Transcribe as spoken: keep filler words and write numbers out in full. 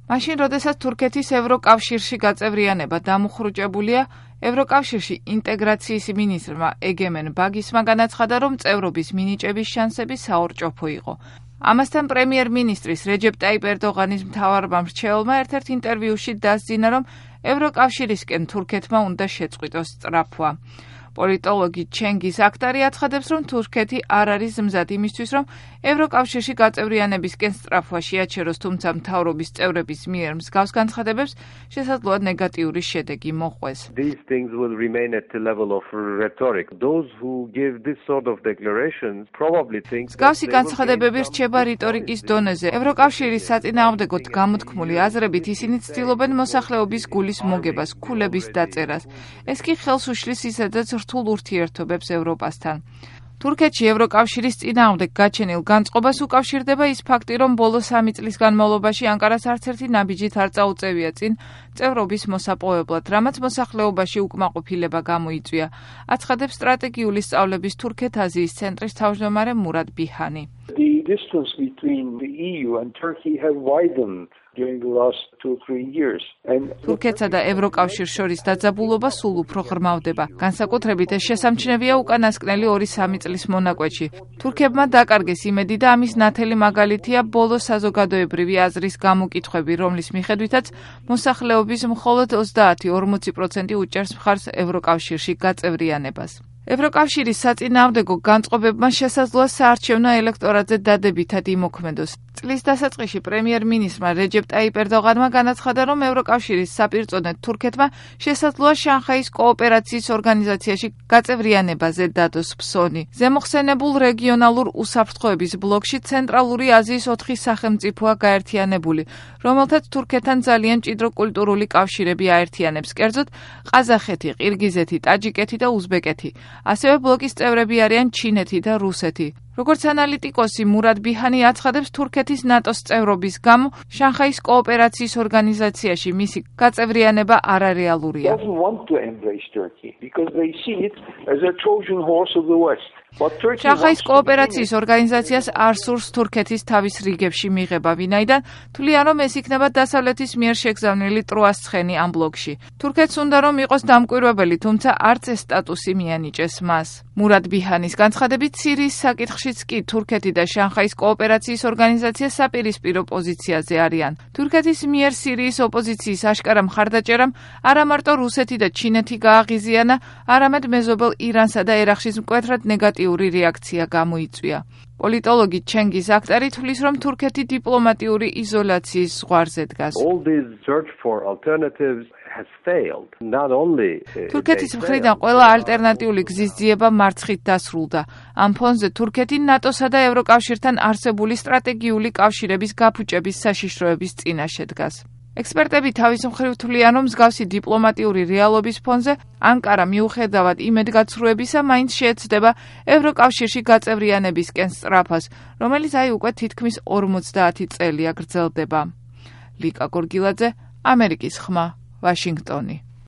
მაშინ, როდესაც თურქეთის ევროკავშირში გაწევრიანება დამუხრუჭებულია, ევროკავშირში ინტეგრაციის მინისტრმა ეგემენ ბაგისმა განაცხადა, რომ წევრობის მინიჭების შანსები საორჭოფო იყო. ამასთან პრემიერ-მინისტრის რეჯეპ ტაიპ ერდოღანის მთავარმა მრჩეველმა ერთ-ერთ ინტერვიუში დასძინა, რომ ევროკავშირისკენ თურქეთმა უნდა შეწყვიტოს სწრაფვა. პოლიტოლოგი ჩენგიზ აქტარი აცხადებს, რომ თურქეთი არ არის მზად იმისთვის, რომ ევროკავშირში გაწევრიანებისკენ სწრაფვა შეაჩეროს, თუმცა მთავრობის წევრების მიერ მსგავს განცხადებებს შესაძლოა ნეგატიური შედეგი მოჰყვეს. These things will remain at the level of rhetoric. Those who give this sort of declarations probably think მსგავსი განცხადებები რჩება რიტორიკის დონეზე. ევროკავშირის საწინააღმდეგოდ გამოთქმული აზრებით ისინი ცდილობენ მოსახლეობის გულის მოგებას, ქულების დაწერას. ეს კი ხელს უშლის ისედაც რთულ ურთიერთობებს ევროპასთან. თურქეთში ევროკავშირის წინააღმდეგ გაჩენილ განწყობას უკავშირდება ის ფაქტი, რომ ბოლო სამი წლის განმავლობაში ანკარას არც ერთი ნაბიჯით არ წაუწევია წინ წევრობის მოსაპოვებლად, რამაც მოსახლეობაში უკმაყოფილება გამოიწვია, აცხადებს სტრატეგიული სწავლების თურქეთ-აზიის ცენტრის თავმჯდომარე მურად ბიჰანი. The distance between the E U and Turkey have widened during the last two or three years. თურქეთსა და ევროკავშირს შორის დაძაბულობა სულ უფრო ღრმავდება. განსაკუთრებით ეს შესამჩნევია უკანასკნელი ორი სამი წლის მონაკვეთში. თურქებმა დაკარგეს იმედი და ამის ნათელი მაგალითია ბოლო საზოგადოებრივი აზრის გამოკითხვები, რომლის მიხედვითაც მოსახლეობის მხოლოდ ოცდაათი ორმოცი პროცენტი უჭერს მხარს ევროკავშირში გაწევრიანებას. ევროკავშირის საწინააღმდეგო განწყობებმა შესაძლოა საარჩევნო ელექტორატზე დადებითად იმოქმედოს. წლის დასაწყისში პრემიერ-მინისტრმა რეჯეპ ტაიპ ერდოღანმა განაცხადა, რომ ევროკავშირის საპირწონედ თურქეთმა შესაძლოა შანხაის კოოპერაციის ორგანიზაციაში გაწევრიანებაზე დადოს ფსონი. ზემოხსენებულ რეგიონალურ უსაფრთხოების ბლოკში ცენტრალური აზიის ოთხი სახელმწიფოა გაერთიანებული, რომელთაც თურქეთთან ძალიან მჭიდრო კულტურული კავშირები აერთიანებს, კერძოდ ყაზახეთი, ყირგიზეთი, ტაჯიკეთი და უზბეკეთი. ასევე ბლოკის წევრები არიან ჩინეთი და რუსეთი. როგორც ანალიტიკოსი მურად ბიჰანი აცხადებს, თურქეთის ნატოს წევრობის გამო შანხაის კოოპერაციის ორგანიზაციაში მისი გაწევრიანება არარეალურია. შანხაის კოოპერაციის ორგანიზაციას არ სურს თურქეთის თავის რიგებში მიღება, ვინაიდან თვლიან, რომ ეს იქნება დასავლეთის მიერ შეგზავნილი ტროას ცხენი ამ ბლოკში. თურქეთს უნდა რომ იყოს დამკვირვებელი, თუმცა არც ეს სტატუსი მიანიჭეს მას. მურად ბიჰანის განცხადებით, სირიის საკითხშიც კი თურქეთი და შანხაის კოოპერაციის ორგანიზაცია საპირისპირო პოზიციაზე არიან. თურქეთის მიერ სირიის ოპოზიციის აშკარა მხარდაჭერამ არა მარტო რუსეთი და ჩინეთი გააღიზიანა, არამედ მეზობელ ირანსა და ერაყშიც მკვეთრად ნეგატიური რეაქცია გამოიწვია. პოლიტოლოგი ჩენგიზ აქტარი თვლის, რომ თურქეთი დიპლომატიური იზოლაციის ზღვარზე დგას. თურქეთის მხრიდან ყველა ალტერნატიული გზის ძიება მარცხით დასრულდა. ამ ფონზე თურქეთი ნატოსა და ევროკავშირთან არსებული სტრატეგიული კავშირების გაფუჭების საშიშროების წინაშე დგას. ექსპერტები თავის მხრივ თვლიან, რომ მსგავსი დიპლომატიური რეალობის ფონზე ანკარა მიუხედავად იმედგაცრუებისა მაინც შეეცდება ევროკავშირში გაწევრიანებისკენ სწრაფას, რომელიც აი უკვე თითქმის ორმოცდაათი წელია გრძელდება. ლიკა გორგილაძე, ამერიკის ხმა, ვაშინგტონი.